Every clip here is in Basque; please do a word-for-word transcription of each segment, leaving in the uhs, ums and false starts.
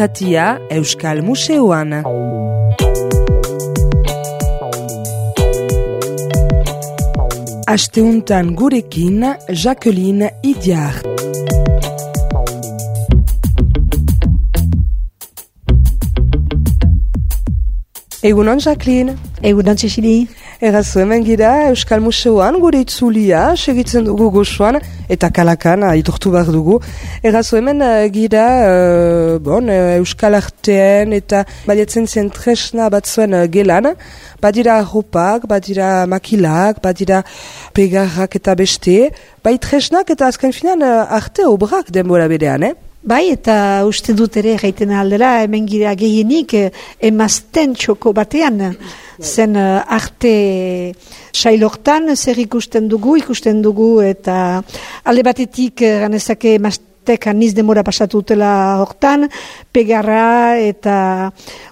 irratia Euskal Museoan. Asteuntan gurekin Jacqueline Idiart. Egunon, Jacqueline. Egunon, Txixili. Errazu hemen gira Euskal Museoan gure itzulia, segitzen dugu gozoan, eta kalakan, aitortu behar dugu. Errazu hemen gira uh, bon, Euskal Arteen eta badiatzen zen tresna batzuen uh, gelan. Badira arropak, badira makilak, badira pegarrak eta beste. Bai tresnak eta azken finan uh, arte obrak denbora berean, eh? Bai, eta uste dut ere gaiten aldera, hemen gira gehienik emazten txoko batean. Zen uh, arte sailortan zer ikusten dugu, ikusten dugu, eta alde batetik ganezake emaztek aniz demora pasatu dutela hortan, pegarra eta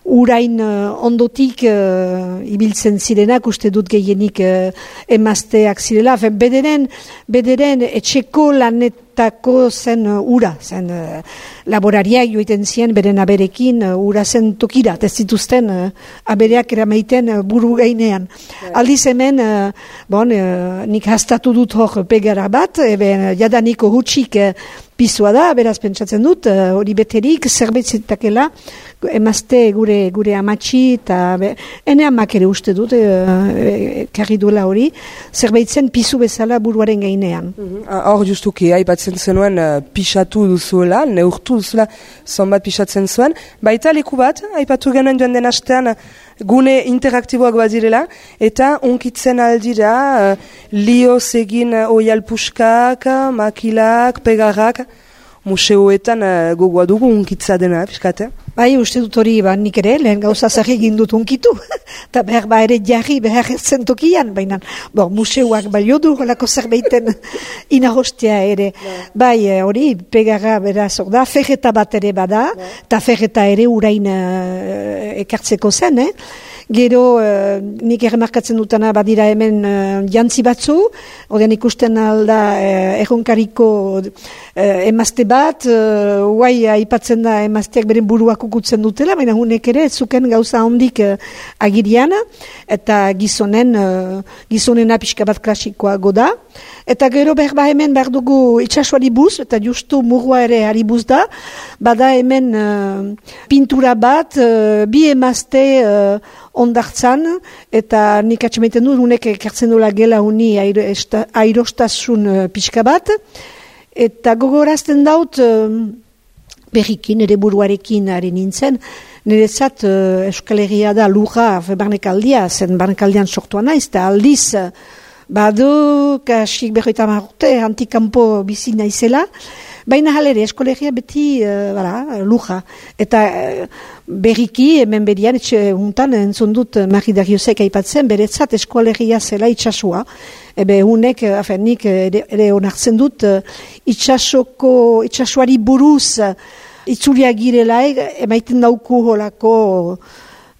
urain uh, ondotik uh, ibiltzen zirenak, uste dut gehienik uh, emazteak zirela. Fen, bederen, bederen etxeko lanet tako zen uh, ura, zen uh, laborariak joiten zien beren aberekin uh, ura zen tokira, ez zituzten uh, abereak eramaiten uh, buru gainean. Yeah. Aldiz hemen, uh, bon, uh, nik hastatu dut hor pegara bat, eben jadaniko hutsik uh, pizua da, beraz pentsatzen dut, hori uh, beterik zerbait zitakela, emazte gure gure amatxi, eta be, ene amak ere uste dut, uh, karri duela hori, zerbait zen pizu bezala buruaren gainean. Hor mm-hmm. justuki, aipatzen zenuen uh, pixatu duzuela, neurtu duzuela, zonbat pixatzen zuen. Baita leku bat, aipatu genuen joan den astean, gune interaktiboak badirela, eta unkitzen aldira, uh, lioz egin uh, oialpuskak, makilak, pegarrak, museoetan uh, gogoa dugu unkitza dena, piskate? Bai, uste dut hori, ba, nik ere, lehen gauza zarri egin dut unkitu, eta behar ba ere jarri behar etzen tokian, baina, bo, museoak balio du, holako zerbaiten inagostea ere. Bai, hori, pegarra beraz, da, ferreta bat ere bada, eta ferreta ere urain uh, ekartzeko zen, eh? Gero, uh, nik erremarkatzen dutana badira hemen uh, jantzi batzu, ordean ikusten alda uh, erronkariko uh, emazte bat, uh, guai aipatzen da emazteak beren buruak ukutzen dutela, baina hunek ere zuken gauza hondik uh, agirian, eta gizonen, uh, gizonena pixka bat klasikoa goda. Eta gero behar ba hemen behar dugu itxasuari buz, eta justu murua ere ari buz da, bada hemen uh, pintura bat, uh, bi emazte uh, ondartzan, eta nik atxemaiten du, unek ekartzen dola gela uni airostasun uh, pixka bat, eta gogorazten daut, uh, berrikin, ere buruarekin ari nintzen, niretzat uh, Euskal Herria da lurra barnekaldia, zen barnekaldian sortua naiz, eta aldiz, badu, kasik berroita marrote, antikampo bizi naizela, baina halere, eskolegia beti uh, bara, luja. Eta uh, berriki, hemen berian, etxe untan, entzun dut Mari Dariusek aipatzen, beretzat eskolegia zela itxasua. Ebe unek, afenik, ere, ere onartzen dut, uh, itxasoko, itxasuari buruz, uh, itzulia girela, emaiten dauku holako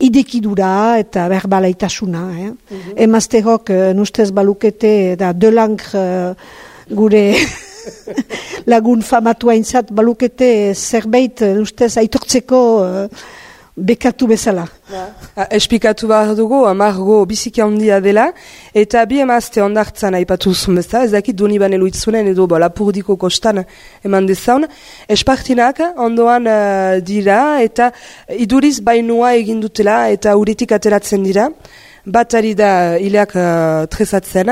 idekidura eta berbalaaitasuna. Eh? Mm-hmm. Emazteok, uh, nustez balukete, da Delangre uh, gure lagun famatu haintzat balukete zerbait, ustez, aitortzeko uh, bekatu bezala. Ja. Espikatu behar dugu, Margo biziki handia dela, eta bi emazte ondartzan aipatu zuen bezala, ez dakit doni bane luitzunen edo bo, lapurdiko kostan eman dezaun, espartinak ondoan uh, dira, eta iduriz bainua egin dutela, eta uretik ateratzen dira, bat ari da hileak uh, tresatzen,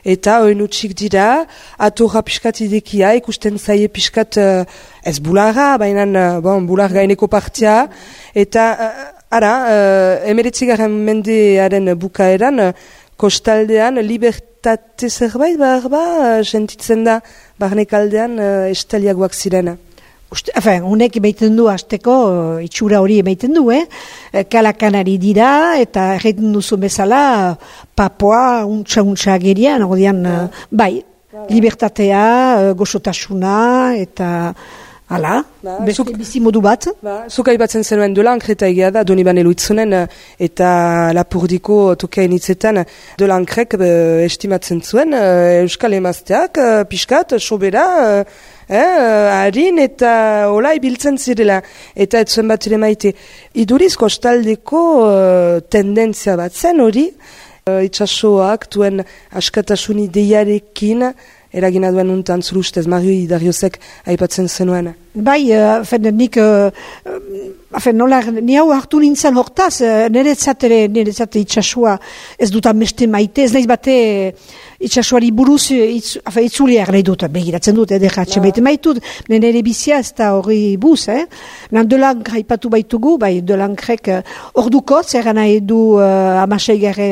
eta oin utxik dira, atorra piskat idekia, ikusten zaie piskat uh, ez bularra, baina uh, bon, bular gaineko partia, eta uh, ara, uh, emeretzigaren mendearen bukaeran, uh, kostaldean, libertate zerbait, behar ba, uh, sentitzen da, barnekaldean uh, estaliagoak zirena. Enfin, unek emaiten du hasteko itxura hori emaiten du, eh? Kalakanari dira, eta erreiten duzu bezala, papoa, untxa-untxa gerian, odian, ja. Bai, ja. Libertatea, gozotasuna, eta hala, ba, beste zuk, bizi modu bat. Ba, zuk aipatzen zenuen Delangre eta egia da, Donibane Luitzunen, eta Lapurdiko tokean hitzetan, Delangrek estimatzen zuen, Euskal emazteak, piskat, sobera, eh, harin eta hola ibiltzen zirela, eta ez zuen bat ere maite. Iduriz kostaldeko uh, tendentzia bat zen hori, uh, itxasoak duen askatasun ideiarekin, eragina duen untan zuru ustez, Mario Idariozek aipatzen zenuen. Bai, uh, fen, nik, uh, fen, nola, ni hau hartu nintzen hortaz, uh, niretzat ere, niretzat itxasua ez dut ameste maite, ez nahiz bate itxasuari buruz itz, afe, itzuliak nahi dut, begiratzen dut, edekatxe maite maitut, nire bizia ez da hori buz, eh? Nan Delank haipatu baitugu, bai, Delankrek uh, orduko, zer nahi du uh, amasei gare,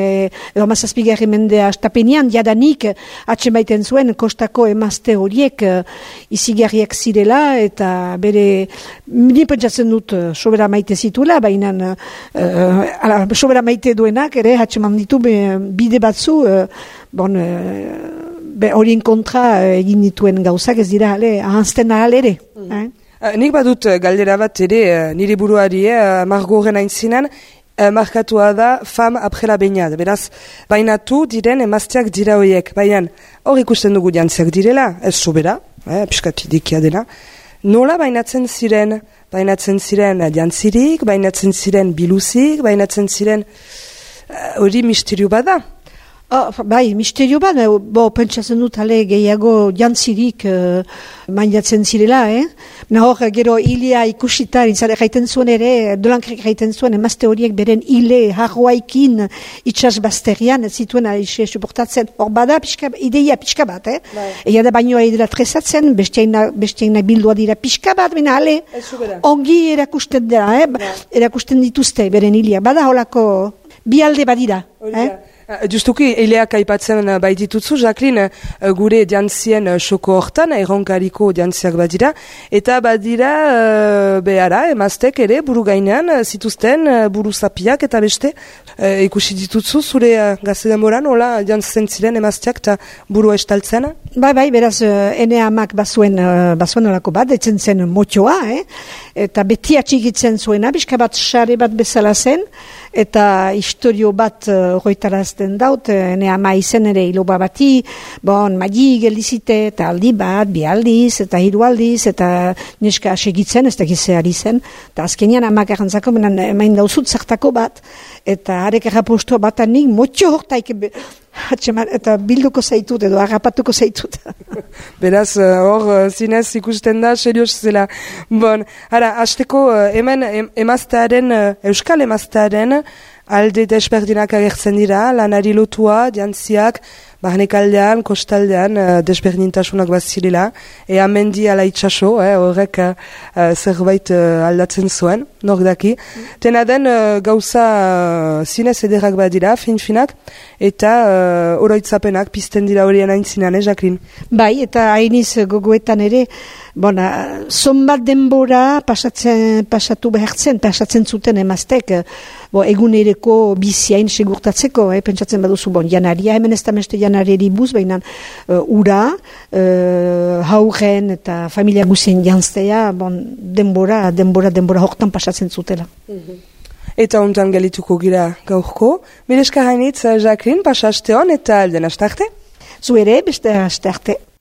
edo amazazpi gare mendea estapenean, jadanik atxe maiten zuen kostako emazte horiek uh, izigarriak zirela, eta bere, ni pentsatzen dut sobera maite zituela, baina uh, sobera maite duenak, ere, hatxeman ditu bide batzu, uh, bon, uh, horien kontra uh, egin dituen gauzak ez dira, ale, ahanzten ahal ere. Mm. Eh? Uh, nik badut galdera bat ere, uh, nire buruari, uh, margoren aintzinan, uh, markatua da fam aprela bainat. Beraz, bainatu diren emazteak dira horiek, baina hor ikusten dugu jantziak direla, ez sobera, eh, piskat idikia dela. Nola bainatzen ziren, bainatzen ziren jantzirik, bainatzen ziren biluzik, bainatzen ziren hori uh, misterio bada. Oh, bai, misterio bat, bo, pentsatzen dut ale gehiago jantzirik uh, mainatzen zirela, eh? Nahor, gero hilia ikusita, intzale gaiten zuen ere, Delankrek gaiten zuen, emazte horiek beren hile harroaikin itxas bazterian, zituen aixe suportatzen, hor bada, pixka, ideia pixka bat, eh? Bai. Ega da bainoa edera tresatzen, bestiaina bildua dira pixka bat, bina ale, ongi erakusten dira, eh? Bai. Erakusten dituzte beren hilia, bada holako bi alde badira, eh? Justuki, eileak aipatzen baitituzu, Jacqueline, gure jantzien soko hortan, erronkariko jantziak badira, eta badira uh, behara, emaztek ere, buru gainean, zituzten, buru zapiak eta beste, uh, ikusi dituzu, zure uh, gazte denboran, hola, jantzen ziren emazteak eta buru estaltzen? Bai, bai, beraz, uh, ene amak bazuen, uh, bazuen olako bat, etzen zen motioa, eh? Eta beti atxigitzen zuena, bizka bat sare bat bezala zen, eta historio bat horretarazten uh, daut, ene ama izen ere iloba bati, bon, magi geldizite, eta aldi bat, bi aldiz, eta hiru aldiz, eta neska segitzen, ez da gizeari zen, eta azkenian amak errantzako, menan emain dauzut zartako bat, eta harek erraposto bat anik, motxo hortaik, eta bilduko zaitut, edo harrapatuko zaitut. Beraz, hor, uh, zinez ikusten da, serioz zela. Bon, hara, hasteko, uh, hemen em, emaztearen, uh, euskal emaztearen, alde desberdinak agertzen dira, lanari lotua, jantziak, barnekaldean, kostaldean, uh, desberdintasunak bazirela, ea mendi ala itxaso, eh, horrek uh, zerbait uh, aldatzen zuen, nor daki. Mm. Tena den uh, gauza uh, zinez ederrak badira, fin-finak, eta uh, oroitzapenak pizten dira horien aintzinan, eh, Jacqueline? Bai, eta hainiz gogoetan ere, bona, zonbat denbora pasatzen, pasatu behartzen, pasatzen zuten emaztek, bo, egunereko biziain segurtatzeko, eh, pentsatzen baduzu, bon, janaria, hemen ez da meste janareri buz, baina uh, ura, uh, haugen eta familia guzien janztea, bon, denbora, denbora, denbora hortan pasatzen zutela. Mm-hmm. Eta ontan galituko gira gaurko. Mileska hainitz, Jacqueline, pasa aste hon eta alden astarte? Zu ere, beste astarte.